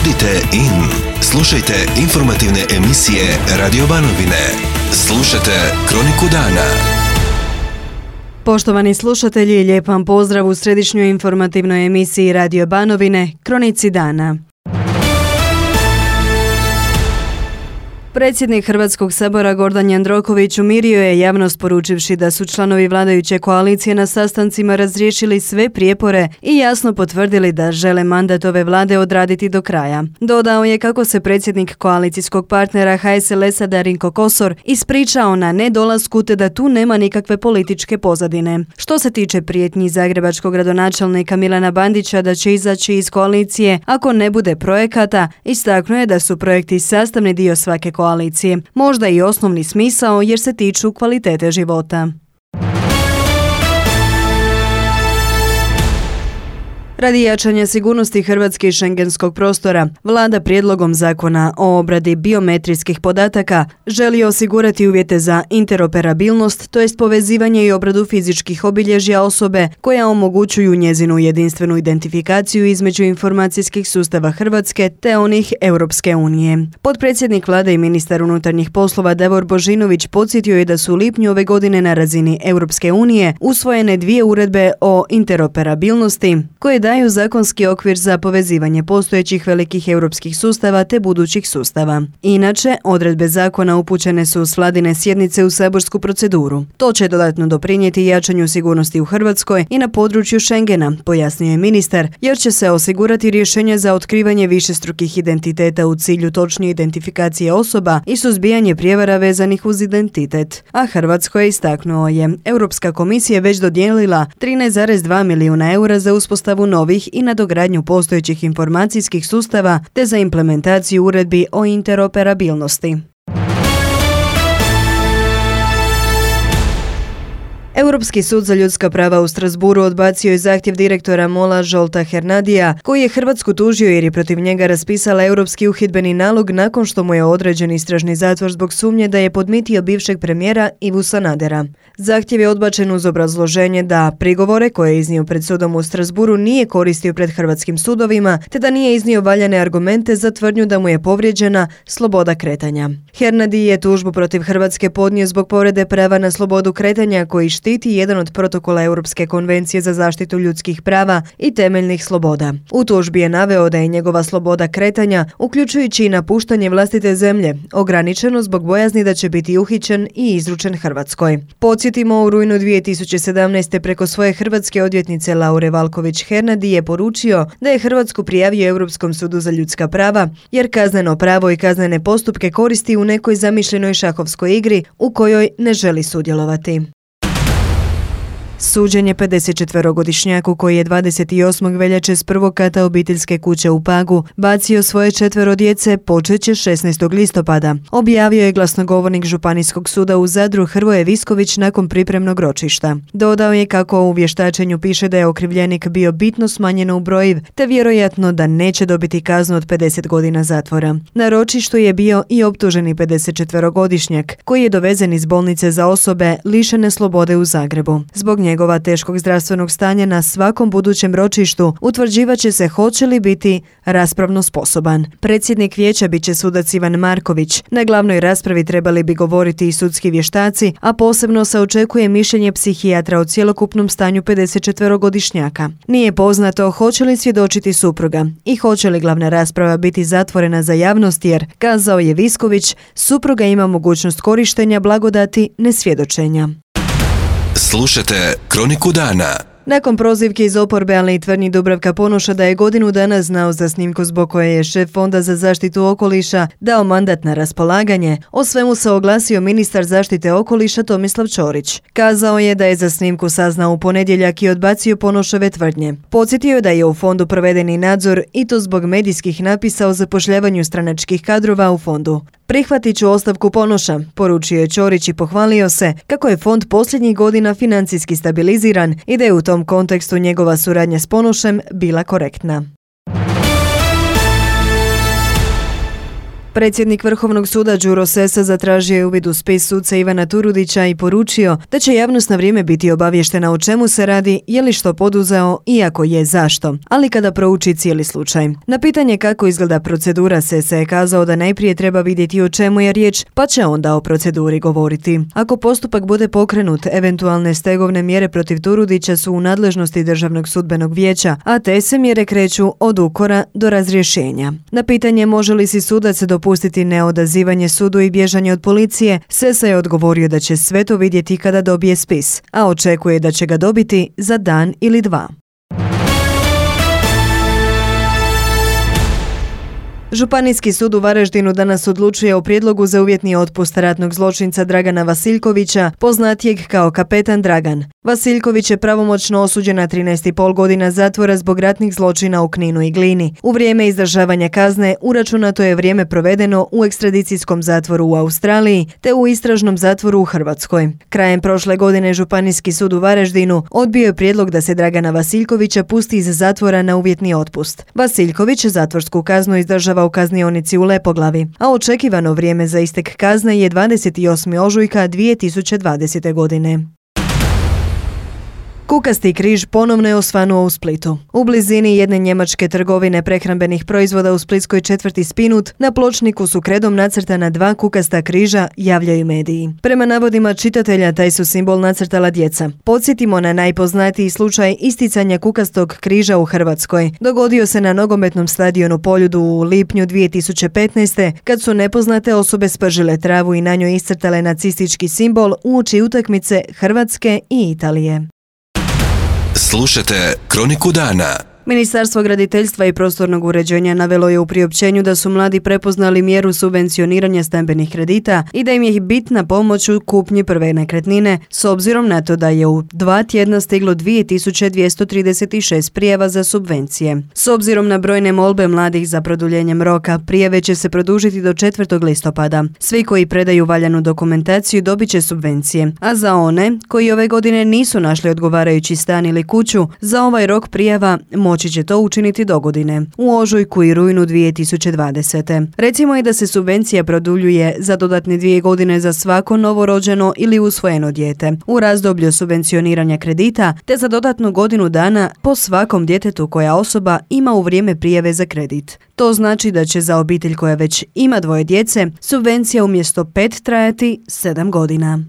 Budite in. Slušajte informativne emisije Radio Banovine. Slušajte Kroniku dana. Poštovani slušatelji, lijep vam pozdrav u središnjoj informativnoj emisiji Radio Banovine, Kronici dana. Predsjednik Hrvatskog sabora Gordan Jandroković umirio je javnost poručivši da su članovi vladajuće koalicije na sastancima razriješili sve prijepore i jasno potvrdili da žele mandat ove vlade odraditi do kraja. Dodao je kako se predsjednik koalicijskog partnera HSLS-a Darinko Kosor ispričao na nedolasku te da tu nema nikakve političke pozadine. Što se tiče prijetnji zagrebačkog gradonačelnika Milana Bandića da će izaći iz koalicije ako ne bude projekata, istaknuo je da su projekti sastavni dio svake koalicije, možda i osnovni smisao jer se tiču kvalitete života. Radi jačanja sigurnosti Hrvatske i šengenskog prostora, Vlada prijedlogom zakona o obradi biometrijskih podataka želi osigurati uvjete za interoperabilnost, to jest povezivanje i obradu fizičkih obilježja osobe koja omogućuju njezinu jedinstvenu identifikaciju između informacijskih sustava Hrvatske te onih Europske unije. Potpredsjednik Vlade i ministar unutarnjih poslova Davor Božinović podsjetio je da su u lipnju ove godine na razini Europske unije usvojene 2 uredbe o interoperabilnosti koje daju zakonski okvir za povezivanje postojećih velikih europskih sustava te budućih sustava. Inače, odredbe zakona upućene su s vladine sjednice u saborsku proceduru. To će dodatno doprinijeti jačanju sigurnosti u Hrvatskoj i na području Schengena, pojasnio je ministar, jer će se osigurati rješenje za otkrivanje višestrukih identiteta u cilju točnije identifikacije osoba i suzbijanje prijevara vezanih uz identitet. A Hrvatsko je istaknuo je, Europska komisija već dodijelila 13,2 milijuna eura za uspostavu novih i nadogradnju postojećih informacijskih sustava te za implementaciju uredbi o interoperabilnosti. Europski sud za ljudska prava u Strasbourgu odbacio je zahtjev direktora MOL-a Zsolta Hernadija, koji je Hrvatsku tužio jer je protiv njega raspisala europski uhidbeni nalog nakon što mu je određen istražni zatvor zbog sumnje da je podmitio bivšeg premijera Ivu Sanadera. Zahtjev je odbačen uz obrazloženje da prigovore koje je iznio pred sudom u Strasbourgu nije koristio pred hrvatskim sudovima, te da nije iznio valjane argumente za tvrdnju da mu je povrijeđena sloboda kretanja. Hernadi je tužbu protiv Hrvatske podnio zbog povrede prava na slobodu kretanja koji štiti jedan od protokola Europske konvencije za zaštitu ljudskih prava i temeljnih sloboda. U tužbi je naveo da je njegova sloboda kretanja, uključujući i napuštanje vlastite zemlje, ograničeno zbog bojazni da će biti uhićen i izručen Hrvatskoj. Podsjetimo, u rujnu 2017. preko svoje hrvatske odvjetnice Laure Valković Hernadi je poručio da je Hrvatsku prijavio Europskom sudu za ljudska prava, jer kazneno pravo i kaznene postupke koristi u nekoj zamišljenoj šahovskoj igri u kojoj ne želi sudjelovati. Suđenje 54-godišnjaku koji je 28. veljače s prvog kata obiteljske kuće u Pagu bacio svoje 4 djece počeće 16. listopada, objavio je glasnogovornik Županijskog suda u Zadru Hrvoje Visković nakon pripremnog ročišta. Dodao je kako u vještačenju piše da je okrivljenik bio bitno smanjen u brojiv, te vjerojatno da neće dobiti kaznu od 50 godina zatvora. Na ročištu je bio i optuženi 54-godišnjak koji je dovezen iz bolnice za osobe lišene slobode u Zagrebu. Zbog njegova teškog zdravstvenog stanja na svakom budućem ročištu utvrđivat će se hoće li biti raspravno sposoban. Predsjednik vijeća bit će sudac Ivan Marković. Na glavnoj raspravi trebali bi govoriti i sudski vještaci, a posebno se očekuje mišljenje psihijatra o cjelokupnom stanju 54-godišnjaka. Nije poznato hoće li svjedočiti supruga i hoće li glavna rasprava biti zatvorena za javnost jer, kazao je Visković, supruga ima mogućnost korištenja blagodati nesvjedočenja. Slušajte Kroniku dana. Nakon prozivke iz oporbe, ali i tvrdnji Dubravka Ponoša da je godinu dana znao za snimku zbog koje je šef Fonda za zaštitu okoliša dao mandat na raspolaganje, o svemu se oglasio ministar zaštite okoliša Tomislav Ćorić. Kazao je da je za snimku saznao u ponedjeljak i odbacio Ponošove tvrdnje. Podsjetio je da je u fondu provedeni nadzor i to zbog medijskih napisa o zapošljavanju stranačkih kadrova u fondu. Prihvatit ću ostavku Ponoša, poručio je Ćorić i pohvalio se kako je fond posljednjih godina financijski stabiliziran i da je u tom kontekstu njegova suradnja s Ponošem bila korektna. Predsjednik Vrhovnog suda Đuro Sessa zatražio je uvid u spis suca Ivana Turudića i poručio da će javnost na vrijeme biti obavještena o čemu se radi, je li što poduzeo i ako je zašto, ali kada prouči cijeli slučaj. Na pitanje kako izgleda procedura, Sessa je kazao da najprije treba vidjeti o čemu je riječ, pa će onda o proceduri govoriti. Ako postupak bude pokrenut, eventualne stegovne mjere protiv Turudića su u nadležnosti Državnog sudbenog vijeća, a te se mjere kreću od ukora do razrješenja. Na pitanje može li si sudac dopustiti neodazivanje sudu i bježanje od policije, Sessa je odgovorio da će sve to vidjeti kada dobije spis, a očekuje da će ga dobiti za dan ili dva. Županijski sud u Varaždinu danas odlučuje o prijedlogu za uvjetni otpust ratnog zločinca Dragana Vasiljkovića, poznatijeg kao kapetan Dragan. Vasiljković je pravomoćno osuđen na 13,5 godina zatvora zbog ratnih zločina u Kninu i Glini. U vrijeme izdržavanja kazne uračunato je vrijeme provedeno u ekstradicijskom zatvoru u Australiji te u istražnom zatvoru u Hrvatskoj. Krajem prošle godine Županijski sud u Varaždinu odbio je prijedlog da se Dragana Vasiljkovića pusti iz zatvora na uvjetni otpust. Vasiljković zatvorsku kaznu izdržava u kaznionici u Lepoglavi, a očekivano vrijeme za istek kazne je 28. ožujka 2020. godine. Kukasti križ ponovno je osvanuo u Splitu. U blizini jedne njemačke trgovine prehrambenih proizvoda u splitskoj četvrti Spinut na pločniku su kredom nacrtana 2 kukasta križa, javljaju mediji. Prema navodima čitatelja, taj su simbol nacrtala djeca. Podsjetimo na najpoznatiji slučaj isticanja kukastog križa u Hrvatskoj. Dogodio se na nogometnom stadionu Poljudu u lipnju 2015. kad su nepoznate osobe spržile travu i na njoj iscrtale nacistički simbol uoči utakmice Hrvatske i Italije. Slušajte Kroniku dana. Ministarstvo graditeljstva i prostornog uređenja navelo je u priopćenju da su mladi prepoznali mjeru subvencioniranja stambenih kredita i da im je bitna pomoć u kupnji prve nekretnine, s obzirom na to da je u 2 tjedna stiglo 2236 prijava za subvencije. S obzirom na brojne molbe mladih za produljenjem roka, prijave će se produžiti do 4. listopada. Svi koji predaju valjanu dokumentaciju dobit će subvencije, a za one koji ove godine nisu našli odgovarajući stan ili kuću, za ovaj rok prijava moći će to učiniti dogodine, u ožujku i rujnu 2020. Recimo i da se subvencija produljuje za dodatne 2 godine za svako novorođeno ili usvojeno dijete, u razdoblju subvencioniranja kredita, te za dodatnu godinu dana po svakom djetetu koja osoba ima u vrijeme prijave za kredit. To znači da će za obitelj koja već ima 2 djece, subvencija umjesto 5 trajati 7 godina.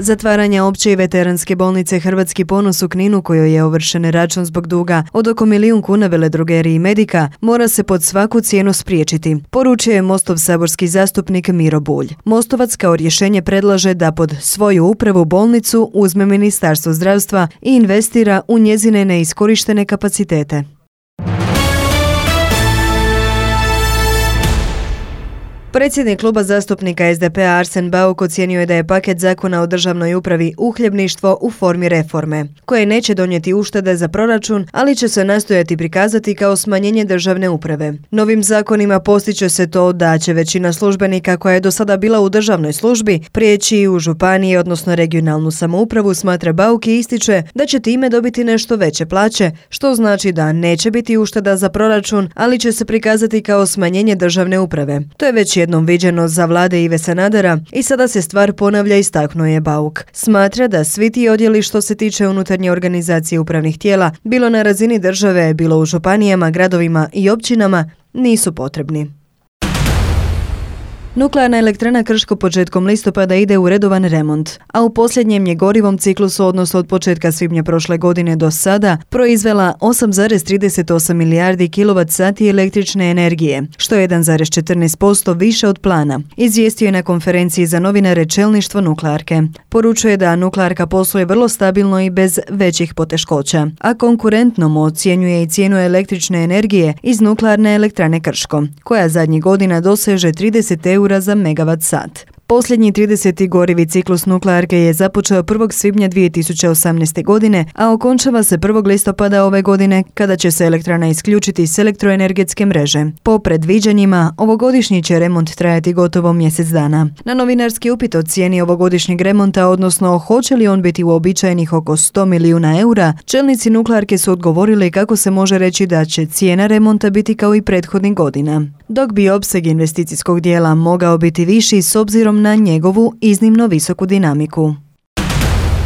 Zatvaranje opće i veteranske bolnice Hrvatski ponos u Kninu, kojoj je ovršen račun zbog duga od oko 1 milijun kuna veledrogeriji Medika, mora se pod svaku cijenu spriječiti, poručio je Mostov saborski zastupnik Miro Bulj. Mostovac kao rješenje predlaže da pod svoju upravu bolnicu uzme Ministarstvo zdravstva i investira u njezine neiskorištene kapacitete. Predsjednik kluba zastupnika SDP-a Arsen Bauk ocijenio je da je paket zakona o državnoj upravi uhljebništvo u formi reforme, koje neće donijeti uštede za proračun, ali će se nastojati prikazati kao smanjenje državne uprave. Novim zakonima postiže se to da će većina službenika koja je do sada bila u državnoj službi prijeći u županije, odnosno regionalnu samoupravu, smatra Bauk i ističe da će time dobiti nešto veće plaće, što znači da neće biti ušteda za proračun, ali će se prikazati kao smanjenje državne uprave. To je već jednom viđeno za vlade Ive Sanadera i sada se stvar ponavlja, istaknuo je Bauk. Smatra da svi ti odjeli što se tiče unutarnje organizacije upravnih tijela, bilo na razini države, bilo u županijama, gradovima i općinama, nisu potrebni. Nuklearna elektrana Krško početkom listopada ide u redovan remont, a u posljednjem je gorivom ciklusu, odnosno od početka svibnja prošle godine do sada, proizvela 8,38 milijardi kWh električne energije, što je 1,14% više od plana, izvijestio je na konferenciji za novinare čelništvo nuklearke. Poručuje da nuklearka posluje vrlo stabilno i bez većih poteškoća, a konkurentnom ocjenjuje i cijenu električne energije iz nuklearne elektrane Krško, koja zadnjih godina doseže 30 € za megavat sat. Posljednji 30. gorivi ciklus nuklearke je započeo 1. svibnja 2018. godine, a okončava se 1. listopada ove godine kada će se elektrana isključiti s elektroenergetske mreže. Po predviđanjima, ovogodišnji će remont trajati gotovo mjesec dana. Na novinarski upit o cijeni ovogodišnjeg remonta, odnosno hoće li on biti uobičajenih oko 100 milijuna eura, čelnici nuklearke su odgovorili kako se može reći da će cijena remonta biti kao i prethodnih godina, dok bi opseg investicijskog dijela mogao biti viši s obzirom na njegovu iznimno visoku dinamiku.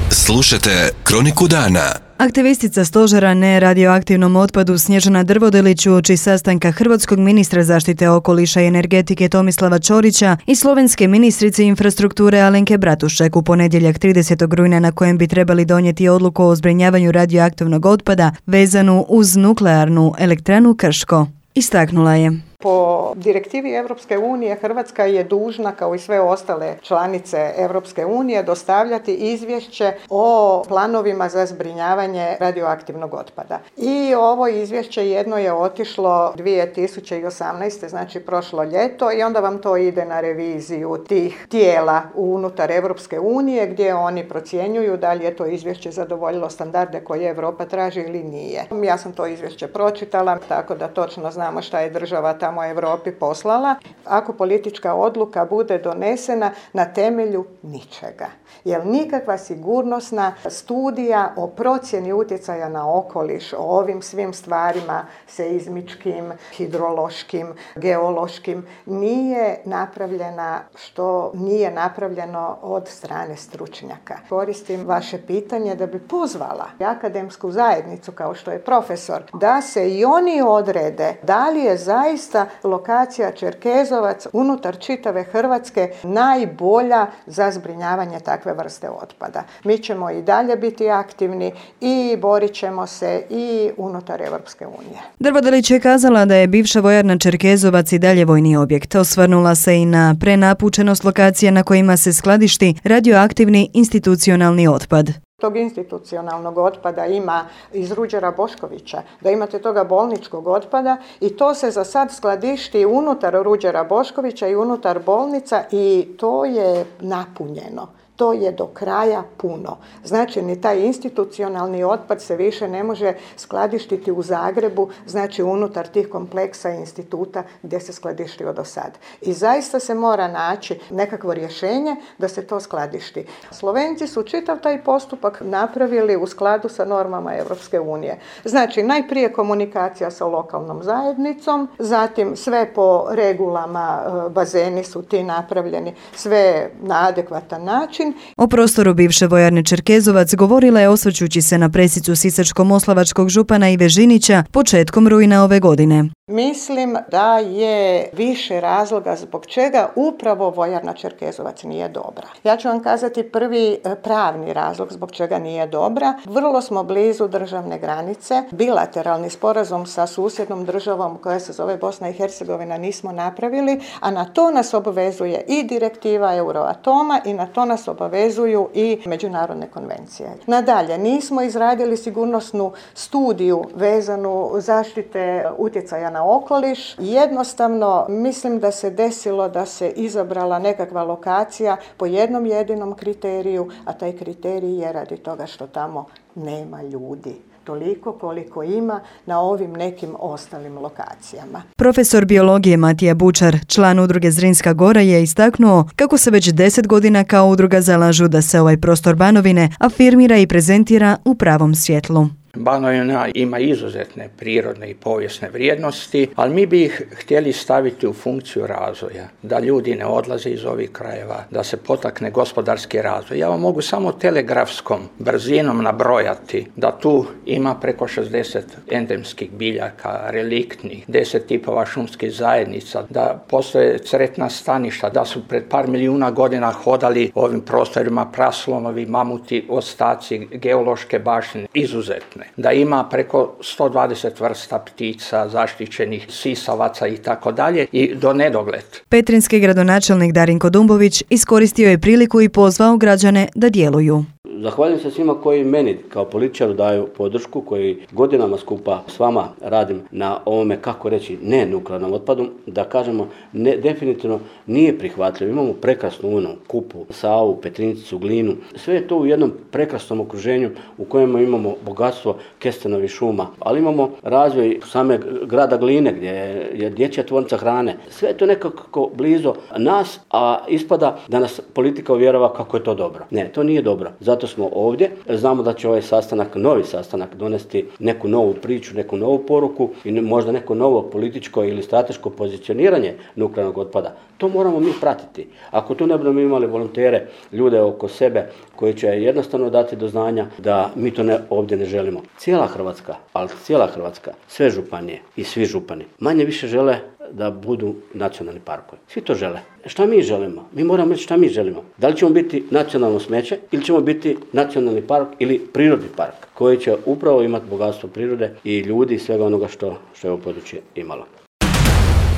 Slušajte Kroniku dana. Aktivistica stožera neradioaktivnom otpadu Snježana Drvodelić uoči sastanka hrvatskog ministra zaštite okoliša i energetike Tomislava Ćorića i slovenske ministrice infrastrukture Alenke Bratušek u ponedjeljak 30. rujna na kojem bi trebali donijeti odluku o zbrinjavanju radioaktivnog otpada vezanu uz nuklearnu elektranu Krško. Istaknula je: po direktivi Europske unije Hrvatska je dužna, kao i sve ostale članice Europske unije, dostavljati izvješće o planovima za zbrinjavanje radioaktivnog otpada. I ovo izvješće jedno je otišlo 2018. znači prošlo ljeto, i onda vam to ide na reviziju tih tijela unutar Europske unije gdje oni procjenjuju da li je to izvješće zadovoljilo standarde koje Europa traži ili nije. Ja sam to izvješće pročitala, tako da točno znamo šta je država tamo Europi poslala. Ako politička odluka bude donesena na temelju ničega, jer nikakva sigurnosna studija o procjeni utjecaja na okoliš, o ovim svim stvarima seizmičkim, hidrološkim, geološkim, nije napravljena, što nije napravljeno od strane stručnjaka. Koristim vaše pitanje da bi pozvala akademsku zajednicu, kao što je profesor, da se i oni odrede da li je zaista lokacija Čerkezovac unutar čitave Hrvatske najbolja za zbrinjavanje takve vrste otpada. Mi ćemo i dalje biti aktivni i borit ćemo se i unutar Europske unije. Drvodelić je kazala da je bivša vojarna Čerkezovac i dalje vojni objekt. Osvrnula se i na prenapučenost lokacija na kojima se skladišti radioaktivni institucionalni otpad. Tog institucionalnog otpada ima iz Ruđera Boškovića, da imate toga bolničkog otpada i to se za sad skladišti unutar Ruđera Boškovića i unutar bolnica i to je napunjeno. To je do kraja puno. Znači, ni taj institucionalni otpad se više ne može skladištiti u Zagrebu, znači unutar tih kompleksa i instituta gdje se skladištio do sad. I zaista se mora naći nekakvo rješenje da se to skladišti. Slovenci su čitav taj postupak napravili u skladu sa normama Europske unije. Znači, najprije komunikacija sa lokalnom zajednicom, zatim sve po regulama, bazeni su ti napravljeni, sve na adekvatan način. O prostoru bivše vojarne Čerkezovac govorila je osvrćući se na presicu sisačko-moslavačkog župana Ive Žinića početkom rujna ove godine. Mislim da je više razloga zbog čega upravo vojarna Čerkezovac nije dobra. Ja ću vam kazati prvi pravni razlog zbog čega nije dobra. Vrlo smo blizu državne granice. Bilateralni sporazum sa susjednom državom koja se zove Bosna i Hercegovina nismo napravili, a na to nas obavezuje i direktiva Euroatoma i na to nas obavezuju i međunarodne konvencije. Nadalje, nismo izradili sigurnosnu studiju vezanu zaštite utjecaja na okoliš. Jednostavno, mislim da se desilo da se izabrala nekakva lokacija po jednom jedinom kriteriju, a taj kriterij je radi toga što tamo nema ljudi. Toliko koliko ima na ovim nekim ostalim lokacijama. Profesor biologije Matija Bučar, član udruge Zrinska Gora, je istaknuo kako se već 10 godina kao udruga zalažu da se ovaj prostor Banovine afirmira i prezentira u pravom svjetlu. Banovina ima izuzetne prirodne i povijesne vrijednosti, ali mi bi ih htjeli staviti u funkciju razvoja, da ljudi ne odlaze iz ovih krajeva, da se potakne gospodarski razvoj. Ja vam mogu samo telegrafskom brzinom nabrojati da tu ima preko 60 endemskih biljaka, reliktnih, 10 tipova šumskih zajednica, da postoje cretna staništa, da su pred par milijuna godina hodali ovim prostorima praslonovi, mamuti, ostaci, geološke baštine, izuzetne. zone, da ima preko 120 vrsta ptica, zaštićenih sisavaca i tako dalje i do nedogled. Petrinjski gradonačelnik Darinko Dumbović iskoristio je priliku i pozvao građane da djeluju. Zahvaljujem se svima koji meni kao političaru daju podršku, koji godinama skupa s vama radim na ovome, kako reći, ne nuklearnom otpadu, da kažemo ne, definitivno nije prihvatljivo. Imamo prekrasnu Unu, Kupu, Savu, Petrinjicu, Glinu. Sve je to u jednom prekrasnom okruženju u kojem imamo bogatstvo kestenovih šuma, ali imamo razvoj same grada Gline gdje je dječja tvornica hrane. Sve je to nekako blizu nas, a ispada da nas politika uvjerava kako je to dobro. Ne, to nije dobro. Zato smo ovdje. Znamo da će ovaj sastanak, novi sastanak, donesti neku novu priču, neku novu poruku i možda neko novo političko ili strateško pozicioniranje nuklearnog otpada. To moramo mi pratiti. Ako tu ne budemo imali volontere, ljude oko sebe koji će jednostavno dati do znanja da mi to ovdje ne želimo. Cijela Hrvatska, ali cijela Hrvatska, sve županije i svi župani manje više žele da budu nacionalni parkovi. Svi to žele. Šta mi želimo? Mi moramo reći šta mi želimo. Da li ćemo biti nacionalno smeće ili ćemo biti nacionalni park ili prirodni park koji će upravo imati bogatstvo prirode i ljudi i svega onoga što je ovo područje imalo.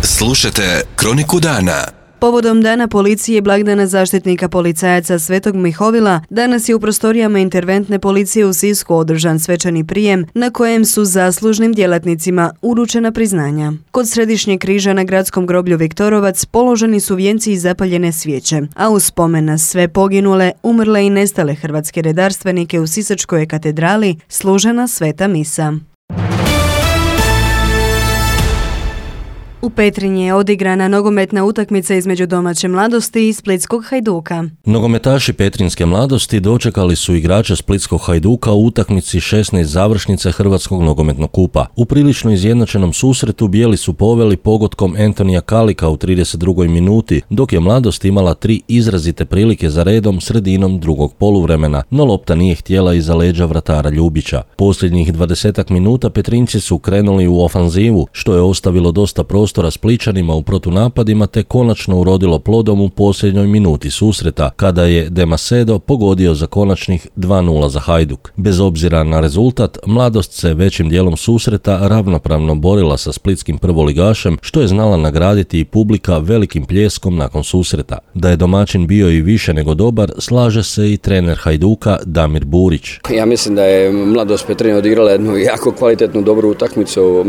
Slušajte Kroniku dana. Povodom Dana policije i blagdana zaštitnika policajaca Svetog Mihovila, danas je u prostorijama interventne policije u Sisku održan svečani prijem na kojem su zaslužnim djelatnicima uručena priznanja. Kod Središnjeg križa na gradskom groblju Viktorovac položeni su vijenci i zapaljene svijeće, a u spomen na sve poginule, umrle i nestale hrvatske redarstvenike u Sisačkoj katedrali služena sveta misa. U Petrinji je odigrana nogometna utakmica između domaće Mladosti i Splitskog Hajduka. Nogometaši Petrinjske Mladosti dočekali su igrače Splitskog Hajduka u utakmici 16 završnice Hrvatskog nogometnog kupa. U prilično izjednačenom susretu bijeli su poveli pogodkom Antonija Kalika u 32. minuti, dok je Mladost imala 3 izrazite prilike za redom sredinom drugog poluvremena, no lopta nije htjela iza leđa vratara Ljubića. Posljednjih 20 minuta Petrinjci su krenuli u ofanzivu, što je ostavilo dosta prostora Spličanima u protunapadima te konačno urodilo plodom u posljednjoj minuti susreta, kada je De Macedo pogodio za konačnih 2:0 za Hajduk. Bez obzira na rezultat, Mladost se većim dijelom susreta ravnopravno borila sa splitskim prvoligašem, što je znala nagraditi i publika velikim pljeskom nakon susreta. Da je domaćin bio i više nego dobar, slaže se i trener Hajduka Damir Burić. Ja mislim da je Mladost Petrinja odigrala jednu jako kvalitetnu, dobru utakmicu.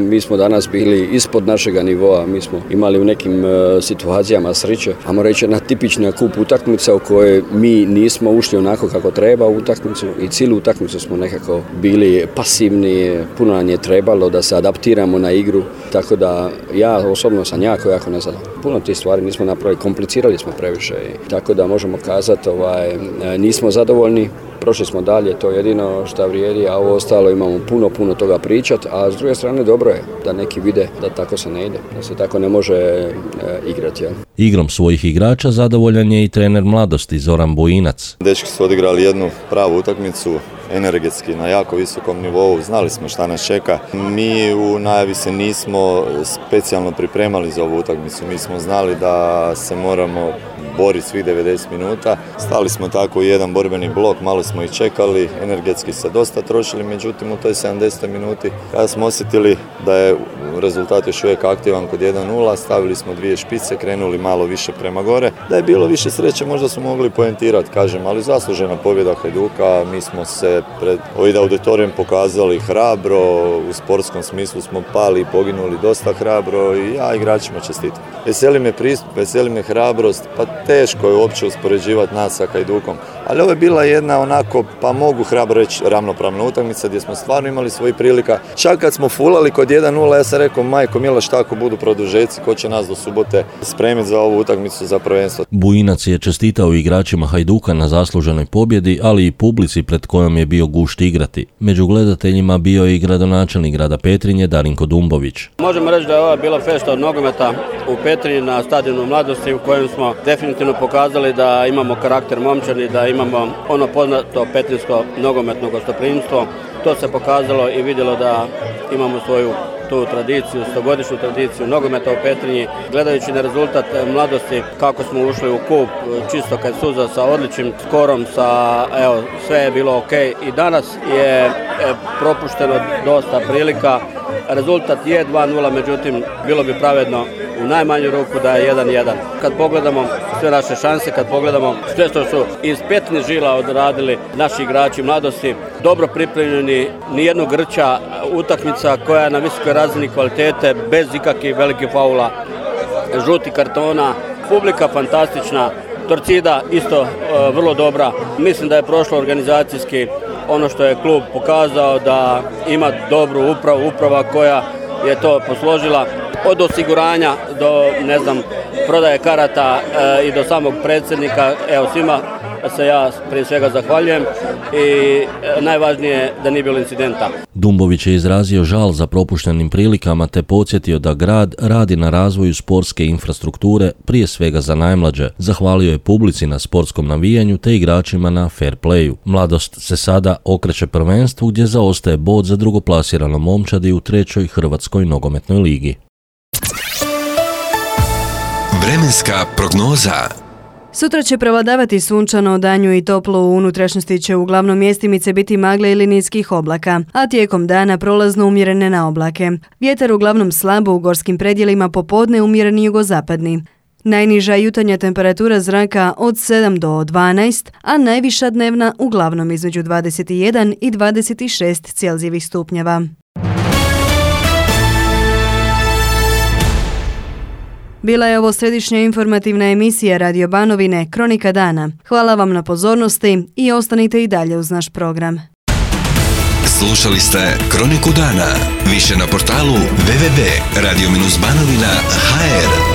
Mi smo danas bili ispod našega nivoa, mi smo imali u nekim situacijama sreće, ajmo reći jedna tipična kup utakmica u kojoj mi nismo ušli onako kako treba u utakmicu i cijelu utakmicu smo nekako bili pasivni, puno nam je trebalo da se adaptiramo na igru, tako da ja osobno sam jako nezadovoljan. Puno tih stvari nismo napravili, komplicirali smo previše, tako da možemo kazati nismo zadovoljni. Prošli smo dalje, to je jedino što vrijedi, a ovo ostalo imamo puno toga pričati, a s druge strane dobro je da neki vide da tako se ne ide, da se tako ne može igrati. Ja. Igrom svojih igrača zadovoljan je i trener Mladosti Zoran Bujinac. Dečki su odigrali jednu pravu utakmicu, energetski na jako visokom nivou, znali smo šta nas čeka. Mi u najavi se nismo specijalno pripremali za ovu utakmicu, mi smo znali da se moramo boriti svih 90 minuta. Stali smo tako u jedan borbeni blok, malo smo ih čekali, energetski se dosta trošili, međutim u toj 70 minuti kada smo osjetili da je rezultat još uvijek aktivan kod 1:0, stavili smo 2 špice, krenuli malo više prema gore. Da je bilo više sreće možda smo mogli poentirati, kažem, ali zaslužena pobjeda Hajduka. Mi smo se pred ovim auditorijem pokazali hrabro, u sportskom smislu smo pali i poginuli dosta hrabro i ja igračima čestitam. Veseli me pristup, veseli me hrabrost, pa teško je uopće uspoređivati nas sa Hajdukom. Ali ovo je bila jedna onako, pa mogu hrabro reći, ravnopravna utakmica gdje smo stvarno imali svojih prilika. Čak kad smo fulali kod 1:0, ja sam rekao, majko mila, šta ako budu produžeci, ko će nas do subote spremiti za ovu utakmicu za prvenstvo. Bujinac je čestitao igračima Hajduka na zasluženoj pobjedi, ali i publici pred kojom je bio gušt igrati. Među gledateljima bio je i gradonačelnik grada Petrinje Darinko Dumbović. Možemo reći da je ova bila fešta od nogometa u Petrinji na stadionu Mladosti u kojem smo definitivno pokazali da imamo karakter momčani, da imamo ono poznato petrinjsko nogometno gostoprimstvo. To se pokazalo i vidjelo da imamo svoju tu tradiciju, 100-godišnju tradiciju nogometa u Petrinji, gledajući na rezultat mladosti, kako smo ušli u kup, čisto kad suza sa odličnim skorom, sve je bilo ok. I danas je propušteno dosta prilika. Rezultat je 2-0, međutim, bilo bi pravedno u najmanju ruku da je 1-1. Kad pogledamo sve naše šanse, kad pogledamo sve što su iz petnih žila odradili naši igrači mladosti, dobro pripremljeni, nijednog grča, utakmica koja je na visokoj razini kvalitete, bez ikakvih velikih faula, žuti kartona, publika fantastična, Torcida isto vrlo dobra. Mislim da je prošlo organizacijski ono što je klub pokazao, da ima dobru uprava koja je to posložila od osiguranja do prodaje karata i do samog predsjednika. Svima se ja prije svega zahvaljujem i najvažnije da nije bilo incidenta. Dumbović je izrazio žal za propuštenim prilikama te podsjetio da grad radi na razvoju sportske infrastrukture, prije svega za najmlađe. Zahvalio je publici na sportskom navijanju te igračima na fair playu. Mladost se sada okreće prvenstvu gdje zaostaje bod za drugoplasiranom Momčadi u 3. Hrvatskoj nogometnoj ligi. Vremenska prognoza. Sutra će prevladavati sunčano, danju i toplo, u unutrašnjosti će uglavnom mjestimice biti magle ili niskih oblaka, a tijekom dana prolazno umjerene na oblake. Vjetar uglavnom slabo, u gorskim predjelima popodne umjereni jugozapadni. Najniža jutarnja temperatura zraka od 7 do 12, a najviša dnevna uglavnom između 21 i 26 Celzijevih stupnjeva. Bila je ovo središnja informativna emisija Radio Banovine, Kronika dana. Hvala vam na pozornosti i ostanite i dalje uz naš program. Slušali ste Kroniku dana. Više na portalu www.radio-banovina.hr.